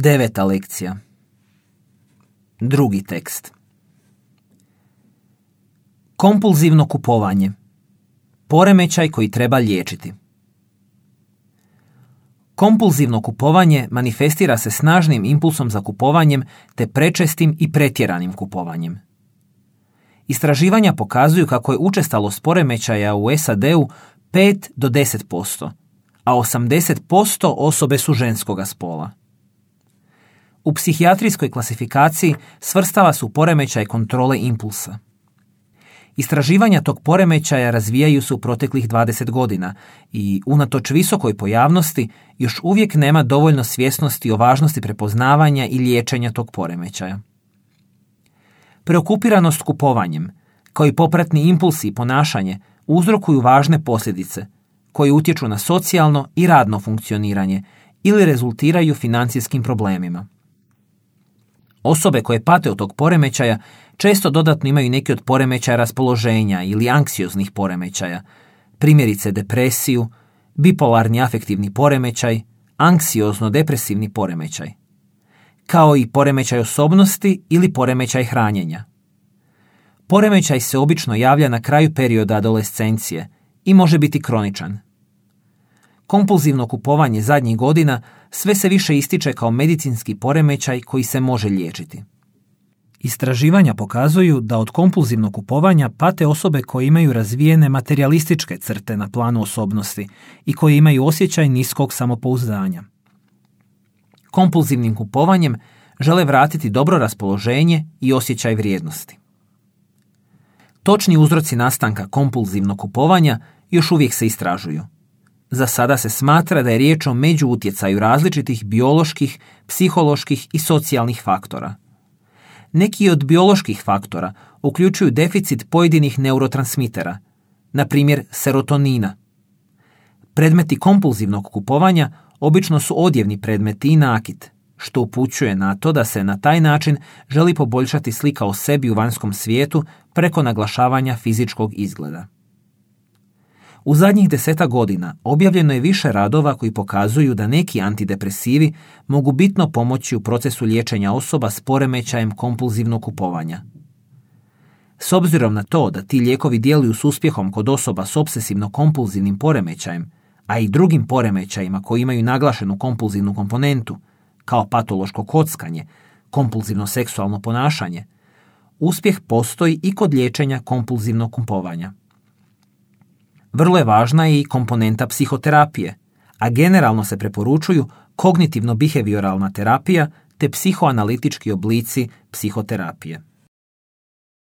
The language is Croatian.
9. lekcija. Drugi tekst. Kompulzivno kupovanje. Poremećaj koji treba liječiti. Kompulzivno kupovanje manifestira se snažnim impulsom za kupovanjem te prečestim i pretjeranim kupovanjem. Istraživanja pokazuju kako je učestalost poremećaja u SAD-u 5 do 10%, a 80% osobe su ženskoga spola. U psihijatrijskoj klasifikaciji svrstava su poremećaj kontrole impulsa. Istraživanja tog poremećaja razvijaju se u proteklih 20 godina i, unatoč visokoj pojavnosti, još uvijek nema dovoljno svjesnosti o važnosti prepoznavanja i liječenja tog poremećaja. Preokupiranost kupovanjem, kao i popratni impulsi i ponašanje, uzrokuju važne posljedice koje utječu na socijalno i radno funkcioniranje ili rezultiraju financijskim problemima. Osobe koje pate od tog poremećaja često dodatno imaju neki od poremećaja raspoloženja ili anksioznih poremećaja, primjerice depresiju, bipolarni afektivni poremećaj, anksiozno-depresivni poremećaj, kao i poremećaj osobnosti ili poremećaj hranjenja. Poremećaj se obično javlja na kraju perioda adolescencije i može biti kroničan. Kompulzivno kupovanje zadnjih godina sve se više ističe kao medicinski poremećaj koji se može liječiti. Istraživanja pokazuju da od kompulzivnog kupovanja pate osobe koje imaju razvijene materijalističke crte na planu osobnosti i koje imaju osjećaj niskog samopouzdanja. Kompulzivnim kupovanjem žele vratiti dobro raspoloženje i osjećaj vrijednosti. Točni uzroci nastanka kompulzivnog kupovanja još uvijek se istražuju. Za sada se smatra da je riječ o međuutjecaju različitih bioloških, psiholoških i socijalnih faktora. Neki od bioloških faktora uključuju deficit pojedinih neurotransmitera, na primjer serotonina. Predmeti kompulzivnog kupovanja obično su odjevni predmeti i nakit, što upućuje na to da se na taj način želi poboljšati slika o sebi u vanjskom svijetu preko naglašavanja fizičkog izgleda. U zadnjih 10 godina objavljeno je više radova koji pokazuju da neki antidepresivi mogu bitno pomoći u procesu liječenja osoba s poremećajem kompulzivnog kupovanja. S obzirom na to da ti lijekovi djeluju s uspjehom kod osoba s obsesivno-kompulzivnim poremećajem, a i drugim poremećajima koji imaju naglašenu kompulzivnu komponentu, kao patološko kockanje, kompulzivno seksualno ponašanje, uspjeh postoji i kod liječenja kompulzivnog kupovanja. Vrlo je važna i komponenta psihoterapije, a generalno se preporučuju kognitivno-behavioralna terapija te psihoanalitički oblici psihoterapije.